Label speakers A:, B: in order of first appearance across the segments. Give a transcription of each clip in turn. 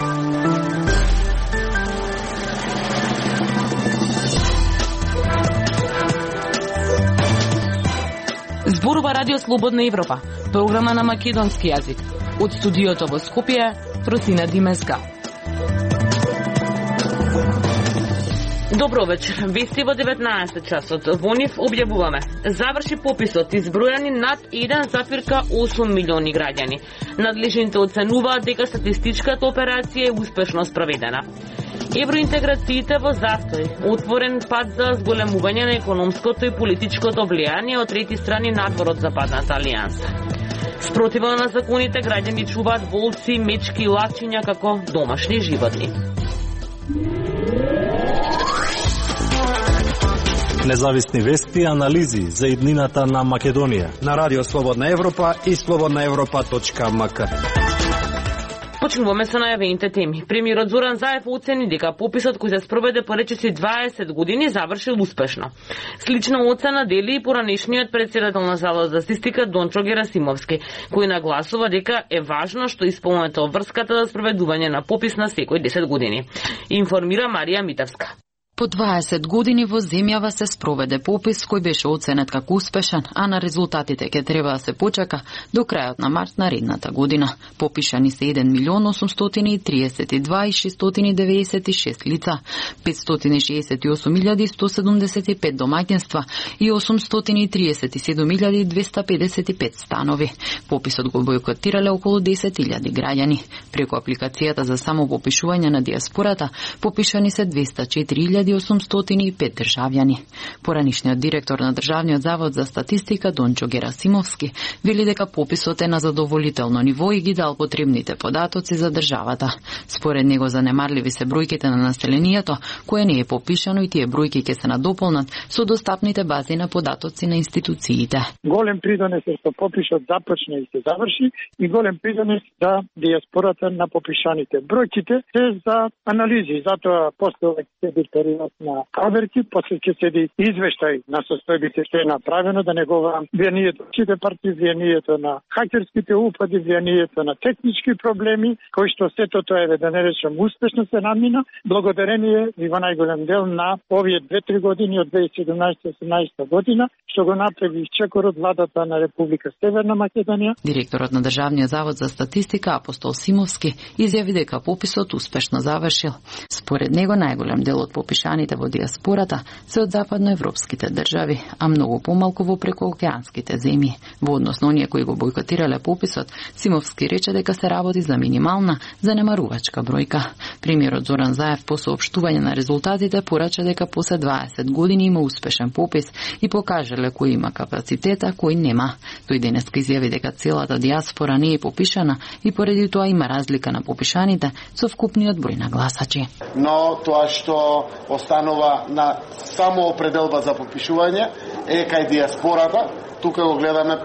A: Зборува Радио Слободна Европа, програма на македонски јазик. Од студиото во Скопје, Росина Димеска. Добро вечер. Вести во 19 часот. Во нив објавуваме. Заврши пописот, избројани над 1,8 милиони граѓани. Надлежните оценуваат дека статистичката операција е успешно спроведена. Евроинтеграциите во застој, отворен пат за зголемување на економското и политичкото влијание од трети страни надвор од Западната алијанса. Спротивно на законите граѓани чуваат волци, мечки и лачиња како домашни животни.
B: Независни вести и анализи за иднината на Македонија
C: на Радио Слободна Европа и slobodnaevropa.mk.
A: Почнуваме со најавените теми. Премиерот Зоран Заев оцени дека пописот кој се спроведе по речиси 20 години завршил успешно. Слична оцена дели и поранешниот председател на Заводот за статистика Дончо Герасимовски, кој нагласува дека е важно што исполнета врската за спроведување на попис на секој 10 години. Информира Марија Митевска.
D: По 20 години во земјава се спроведе попис кој беше оценет како успешен, а на резултатите ќе треба да се почека до крајот на март наредната година. Попишани се 1.832.696 лица, 568.175 домаќинства и 837.255 станови. Пописот го бојкотирале околу 10.000 граѓани. Преку апликацијата за самопопишување на диаспората попишани се 204.805 државјани. Поранишниот директор на Државниот завод за статистика Дончо Герасимовски вели дека пописот е на задоволително ниво и ги дал потребните податоци за државата. Според него занемарливи се бројките на населението кое не е попишано и тие бројки ќе се надополнат со достапните бази на податоци на институциите.
E: Голем придонес е што пописот започне и се заврши и голем придонес за диаспората на попишаните. Бројките се за анализи, затоа постојува период на проверки, после ќе седи извештај на состојбите што е направено, да не говорам влијанието сите партии, влијанието на хакерските упади, влијанието на технички проблеми, кои што сето тоа е да не речем успешно се намина, благодарение и во најголем дел на овие 2-3 години од 2017-18 година, што го направи чекорот владата на Република Северна Македонија.
D: Директорот на Државниот завод за статистика Апостол Симовски изјави дека пописот успешно завршил. Според него најголем дел од попишаните во диаспората се од западноевропските држави, а многу помалку во прекоокеанските земји. Во однос на оние кои го бојкотирале пописот, Симовски рече дека се работи за минимална, занемарувачка бројка. Премиерот Зоран Заев по соопштување на резултатите порача дека после 20 години има успешен попис и покажале кој има капацитета, кој нема. Тој денеска изјави дека целата диаспора не е попишана и поради тоа има разлика на попишаните со вкупниот број на гласачи.
F: Но тоа што останува на само определба за попишување е кај диаспората. Тука го гледаме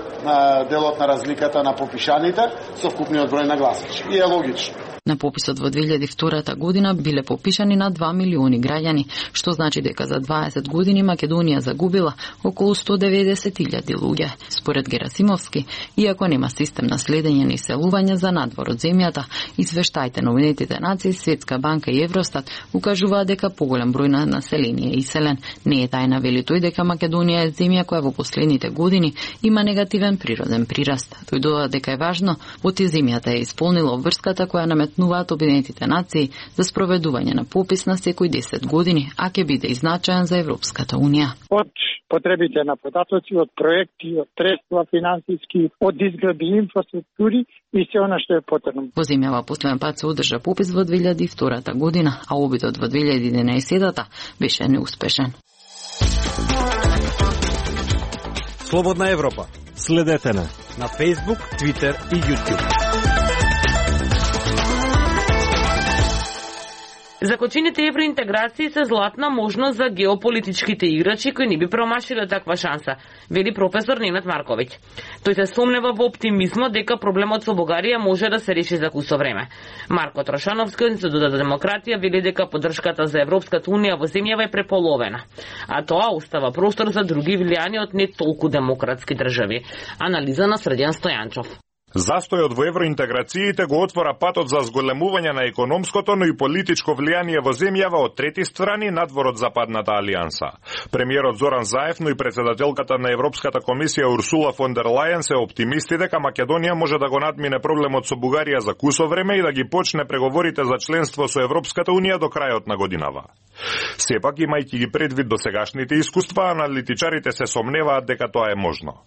F: делот на разликата на попишаните со вкупниот број на гласачи. И е логично.
D: На пописот во 2002 година биле попишани на 2 милиони граѓани, што значи дека за 20 години Македонија загубила околу 190.000 луѓе. Според Герасимовски, иако нема систем на следење на иселување за надвор од земјата, извештаите на Уединетите нации, Светска банка и Евростат укажуваат дека поголем број на население е иселен. Не е тајна, вели тој, дека Македонија е земја која во последните години има негативен природен прираст. Тој додаде дека е важно оти земјата е исполнила обврската која наметнуваат Обединетите нации за спроведување на попис на секој 10 години, а ќе биде изначаен за Европската унија.
E: Од потребите на податоци, од проекти, од средства финансиски, од изгради инфраструктури и се она што е потребно.
D: Во земјава последен пат се одржа попис во 2002 година, а обидот во 2011 беше неуспешен.
C: Слободна Европа.
B: Следете на
C: Facebook, Twitter и YouTube.
A: Закочените евроинтеграции се златна можност за геополитичките играчи кои не би промашиле таква шанса, вели професор Ненад Марковиќ. Тој се сомнева во оптимизмот дека проблемот со Бугарија може да се реши за кусо време. Марко Трошановски од Институтот за демократија вели дека поддршката за Европската унија во земјава е преполовена, а тоа остава простор за други влијани од не толку демократски држави. Анализа на Средјан Стојанчов.
G: Застојот во евроинтеграциите го отвора патот за зголемување на економското, но и политичко влијание во земјава од трети страни надвор од Западната алијанса. Премиерот Зоран Заев, но и председателката на Европската комисија Урсула фон дер Лајен се оптимисти дека Македонија може да го надмине проблемот со Бугарија за кусо време и да ги почне преговорите за членство со Европската унија до крајот на годинава. Сепак, имајќи ги предвид досегашните искуства, аналитичарите се сомневаат дека тоа е можно.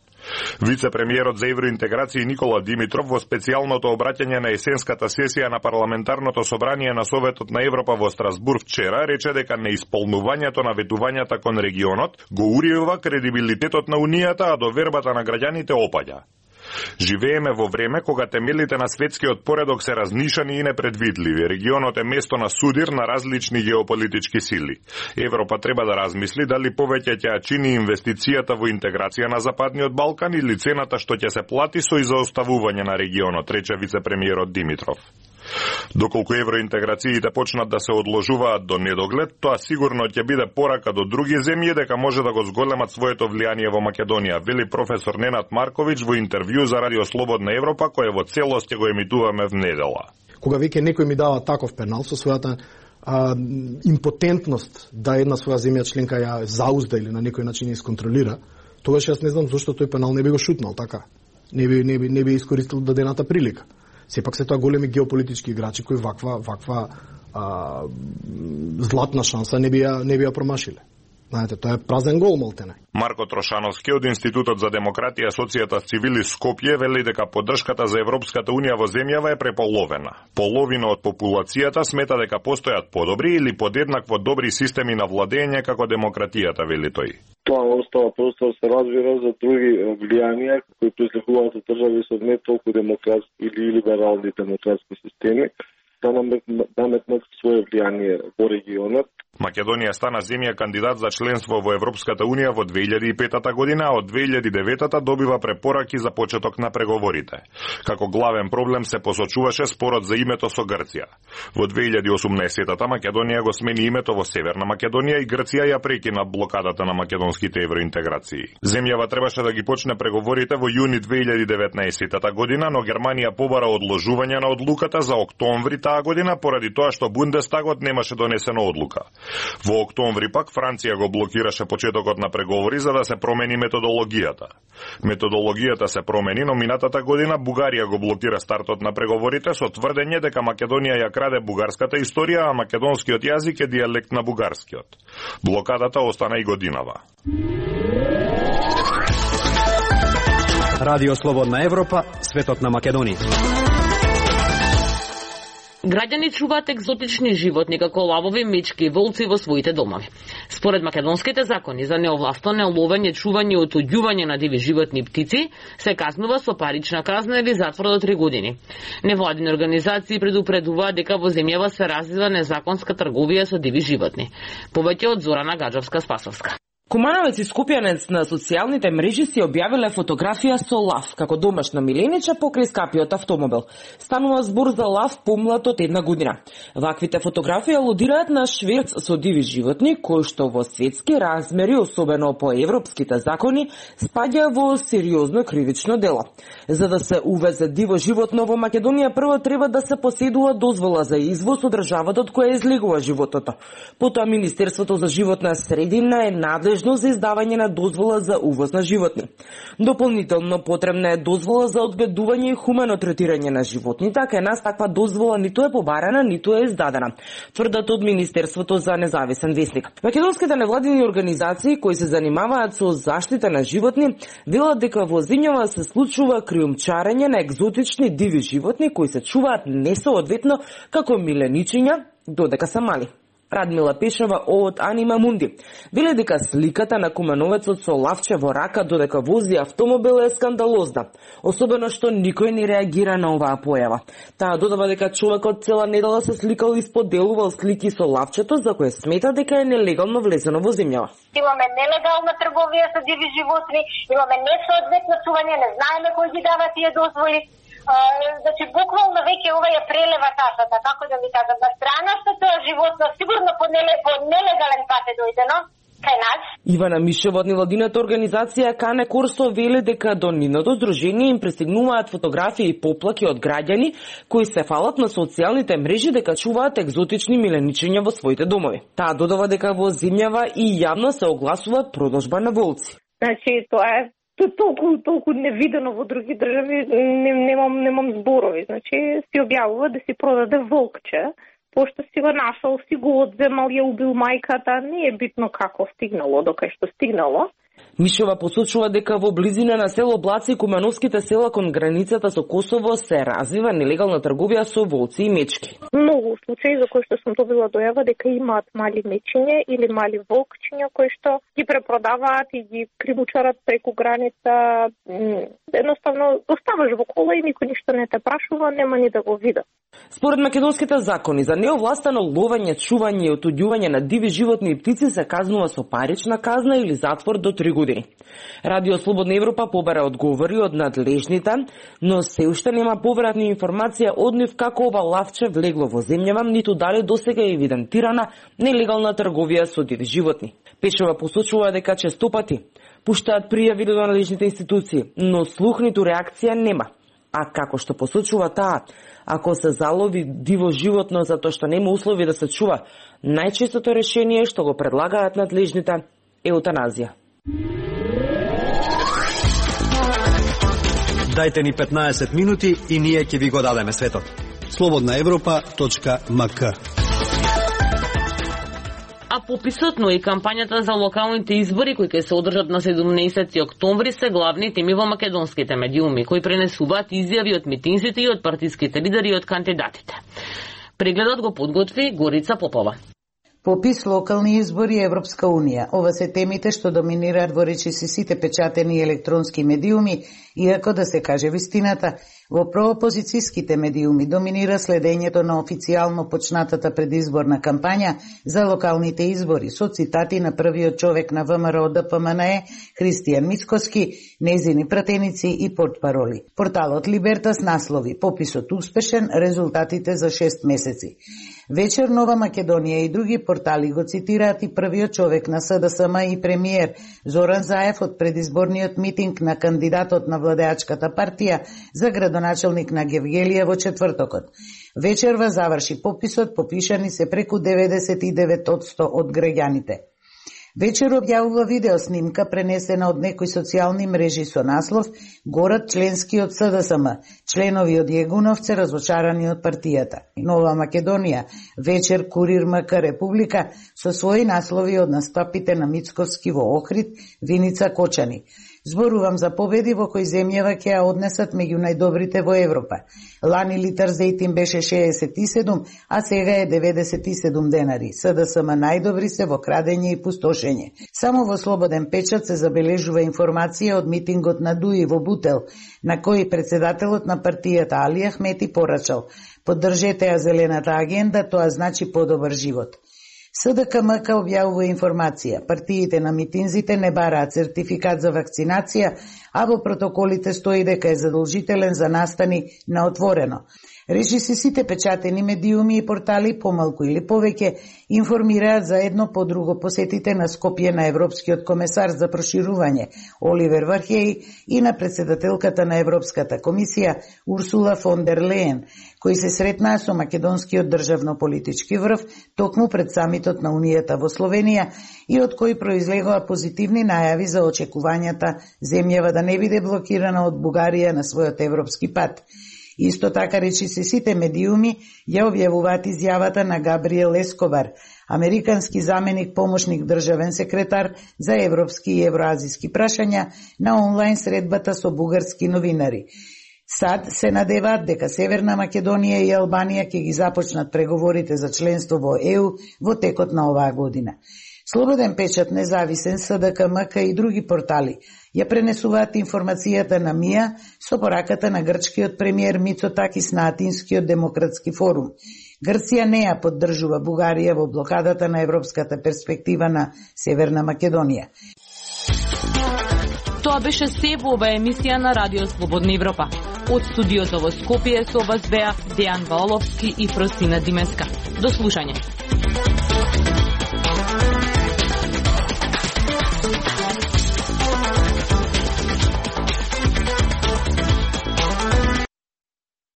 G: Вице-премиерот за евроинтеграција Никола Димитров во специјалното обраќање на есенската сесија на парламентарното собрание на Советот на Европа во Страсбург вчера рече дека неисполнувањето на ветувањата кон регионот го урива кредибилитетот на Унијата, а довербата на граѓаните опаѓа. Живееме во време кога темелите на светскиот поредок се разнишани и непредвидливи. Регионот е место на судир на различни геополитички сили. Европа треба да размисли дали повеќе ќе чини инвестицијата во интеграција на Западниот Балкан или цената што ќе се плати со изоставување на регионот, рече вице-премиерот Димитров. Доколку евроинтеграциите почнат да се одложуваат до недоглед, тоа сигурно ќе биде порака до други земји дека може да го зголемат своето влијание во Македонија, вели професор Ненад Марковиќ во интервју за Радио Слободна Европа, кое во целост ќе го емитуваме в недела.
H: Кога веќе некој ми дава таков пенал со својата импотентност да една своја земја членка ја заузда или на некој начин ја исконтролира, тогаш јас не знам зошто тој пенал не би го шутнал така. Не би искористил дадената прилика. Сепак се тоа големи геополитички играчи кои ваква златна шанса не би ја промашиле. Знаете, тоа е празен гол малтене.
G: Марко Трошановски од Институтот за демократија Асоцијата Цивили Скопје вели дека поддршката за Европската унија во земјава е преполовена. Половина од популацијата смета дека постојат подобри или подеднакво добри системи на владење како демократијата, вели тој.
I: Тоа остава простор се разбира за други влијанија кои произлегуваат од држави со не толку демократски или либерални демократски системи, да наметнат свое влијание во регионот.
G: Македонија стана земја кандидат за членство во Европската унија во 2005 година, а од 2009 добива препораки за почеток на преговорите. Како главен проблем се посочуваше спорот за името со Грција. Во 2018 Македонија го смени името во Северна Македонија и Грција ја прекина блокадата на македонските евроинтеграции. Земјава требаше да ги почне преговорите во јуни 2019 година, но Германија побара одложување на одлуката за октомври таа година поради тоа што Бундестагот немаше донесена одлука. Во октомври пак Франција го блокираше почетокот на преговори за да се промени методологијата. Методологијата се промени, но минатата година Бугарија го блокира стартот на преговорите со тврдење дека Македонија ја краде бугарската историја, а македонскиот јазик е дијалект на бугарскиот. Блокадата остана и годинава.
C: Радио Слободна Европа, светот на Македонија.
A: Граѓани чуваат екзотични животни како лавови, мечки и волци во своите домови. Според македонските закони за неовластено ловење, чување и отуѓување на диви животни и птици се казнува со парична казна или затвор до 3 години. Невладини организации предупредуваат дека во земјава се развива незаконска трговија со диви животни. Повеќе од Зорана Гаджовска-Спасовска.
J: Кумановец и скупјанец на социјалните мрежи си објавиле фотографија со лав како домашно милениче покрај скапиот автомобил. Станува збор за лав помлад од 1 година. Ваквите фотографии алудираат на шверц со диви животни, кои што во светски размери, особено по европските закони, спаѓа во сериозно кривично дело. За да се увезе диво животно во Македонија, прво треба да се поседува дозвола за извоз од државата од која излегува животното. Потоа Министерството за животна средина е надлежно за издавање на дозвола за увоз на животни. Дополнително потребна е дозвола за одгледување и хумано третирање на животните, а кај нас таква дозвола ниту е побарана, ниту е издадена, тврдат од Министерството за независен весник. Македонските невладини организации кои се занимаваат со заштита на животни велат дека во земјава се случува криумчарење на екзотични диви животни кои се чуваат несоодветно како миленичиња додека се мали. Радмила Пешева од Анима Мунди вели дека сликата на кумановецот со лавче во рака додека вози автомобил е скандалозна, особено што никој не реагира на оваа појава. Таа додава дека човекот цела недела се сликал и споделувал слики со лавчето за кое смета дека е нелегално влезено во земјава.
K: Имаме нелегална трговија со диви животни, имаме несоодветно чување, не знаеме кој ги дава тие дозволи. Значи, буквално веќе ова ја прелева ташата, како да ви кажам, на страна што тоа животно сигурно по нелегален пат е дојдено, кај нас.
J: Ивана Мишева од невладината организација Кане Корсо веле дека до нивното здружение им пристигнуваат фотографии и поплаки од граѓани кои се фалат на социјалните мрежи дека чуваат екзотични миленичиња во своите домови. Таа додава дека во земјава и јавно се огласуваат продажба на волци.
L: Значи, тоа е толку невидено во други држави, немам зборови. Значи, си објавува да си продаде волкче, пошто си го нашол, си го одземал, ја убил мајката, не е битно како стигнало, докај што стигнало.
J: Мишева посочува дека во близина на село Блаци и Кумановските села кон границата со Косово се развива нелегална трговија со волци и мечки.
L: Многу случаи за кои што сум добила дојава дека имаат мали мечиња или мали волкчиња кои што ги препродаваат и ги кримучарат преку граница. Едноставно оставаш во кола и никој ништо не те прашува, нема ни да го видат.
J: Според македонските закони за неовластено ловење, чување и отуѓување на диви животни и птици се казнува со парична казна или затвор до 3 години. Радио Слободна Европа побара одговори од надлежните, но се уште нема повратни информација од нив како ова лавче влегло во земјава, ниту дали досега е евидентирана нелегална трговија со диви животни. Пешева посочува дека честопати пуштаат пријави до надлежните институции, но слух ниту реакција нема. А како што посочува таа, ако се залови диво животно затоа што нема услови да се чува, најчестото решение што го предлагаат надлежните е еутаназија.
C: Дајте ни 15 минути и ние ќе ви го дадеме светот. slobodnaevropa.mk.
A: А пописот, но и кампањата за локалните избори кои ќе се одржат на 17 октомври се главни теми во македонските медиуми, кои пренесуваат изјави од митинзите и од партиските лидери и од кандидатите. Прегледот го подготви Горица Попова.
M: Попис, локални избори, Европска Унија. Ова се темите што доминираат во речиси сите печатени електронски медиуми, иако да се каже вистината, во проопозицијските медиуми доминира следењето на официјално почнатата предизборна кампања за локалните избори, со цитати на првиот човек на ВМРО ДПМНЕ, Христијан Мицкоски, незини пратеници и портпароли. Порталот Либертас наслови: пописот успешен, резултатите за 6 месеци. Вечер Нова Македонија и други портали го цитираат и првиот човек на СДСМ и премиер Зоран Заев од предизборниот митинг на кандидатот на владеачката партија за градоначелник на Гевгелија во четвртокот. Вечерва заврши пописот, попишани се преку 99% од граѓаните. Вечер објавува видеоснимка пренесена од некои социјални мрежи со наслов "Горат членски од СДСМ, членови од Јегуновце разочарани од партијата". Нова Македонија, вечер Курир МК Република со своји наслови од настапите на Мицковски во Охрид, Виница Кочани. Зборувам за победи во кои земјава ќе ја однесат меѓу најдобрите во Европа. Лани литар зејтин беше 67, а сега е 97 денари. СДСМ најдобри се во крадење и пустошење. Само во Слободен печат се забележува информација од митингот на Дуи во Бутел, на кој председателот на партијата Али Ахмети порачал: "Поддржете ја зелената агенда, тоа значи подобар живот". СДКМК објавува информација. Партиите на митинзите не бараат сертификат за вакцинација, а во протоколите стои дека е задолжителен за настани на отворено. Речиси сите печатени медиуми и портали помалку или повеќе информираат за едно по друго посетите на Скопје на Европскиот комесар за проширување Оливер Вархеј и на председателката на Европската комисија Урсула фон дер Леен, кои се сретнаа со македонскиот државно-политички врв токму пред самитот на Унијата во Словенија и од кои произлегоа позитивни најави за очекувањата земјава да не биде блокирана од Бугарија на својот европски пат. Исто така речиси сите медиуми ја објавуваат изјавата на Габриел Ескобар, американски заменик помошник државен секретар за европски и евроазиски прашања, на онлайн средбата со бугарски новинари. Сад се надеваат дека Северна Македонија и Албанија ќе ги започнат преговорите за членство во ЕУ во текот на оваа година. Слободен печат, Независен, СДКМК и други портали ја пренесуваат информацијата на МИА со пораката на грчкиот премиер Мицотакис на Атинскиот демократски форум. Грција не ја поддржува Бугарија во блокадата на европската перспектива на Северна Македонија.
N: Тоа беше се во ова емисија на Радио Слободна Европа. Од студиото во Скопје со вас беа Дејан Ваоловски и Фросина Димеска. До слушање.